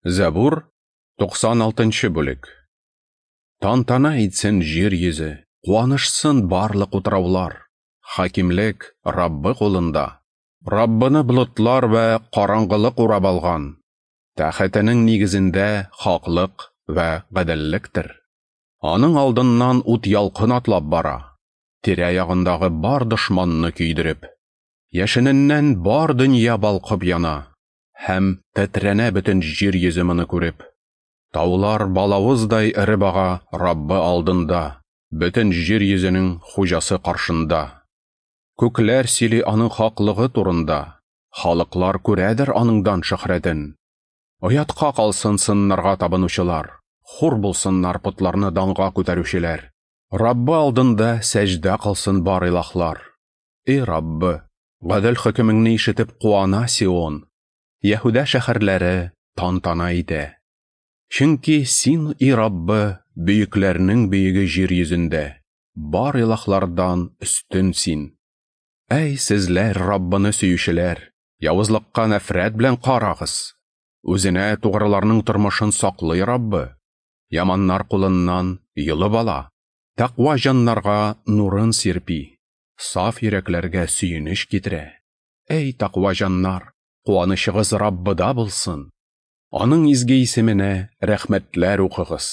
Зәбур, 96 бүлек. Тантана итсен җир йөзе, куанышсын барлык утраулар. Хакимлек Раббы кулында. Раббыны болытлар вә караңгылык урап алган. Тәхетенең нигезендә хаклык вә гаделлектер. Аның алдыннан ут ялкын атлап бара, тирә-ягындагы бар дошманны көйдереп. Яшененнән бар дөнья балкып яна, һәм тетрәнә бөтен җир йөзе моны күреп. Таулар балавыздай эреп ага Раббы алдында, бөтен җир йөзенең хуҗасы каршында. Күкләр сөйли аның хаклыгы турында, халыклар күрәдер аның дан-шөһрәтен. Оятка калсын сыннарга табынучылар, хур булсыннар потларны данга күтәрүчеләр. Раббы алдында сәҗдә кылсын бар илаһлар. Эй Раббы, гадел хөкемеңне ишетеп куана Сион. Яһүдә шәһәрләре тантана итә. Чөнки син, и Раббы, бөекләрнең бөеге җир йөзендә, бар илаһлардан өстен син. Әй, сезләр, Раббыны сөючеләр, явызлыкка нәфрәт белән карагыз. Үзенә тугрыларның тормышын саклый Раббы, яманнар кулыннан йолып ала, тәкъва җаннарга нурын сирпи, саф йөрәкләргә сөенеч китерә. Әй, тәкъва җаннар, куанычыгыз Раббыда булсын. Аның изге исеменә рәхмәтләр укыгыз.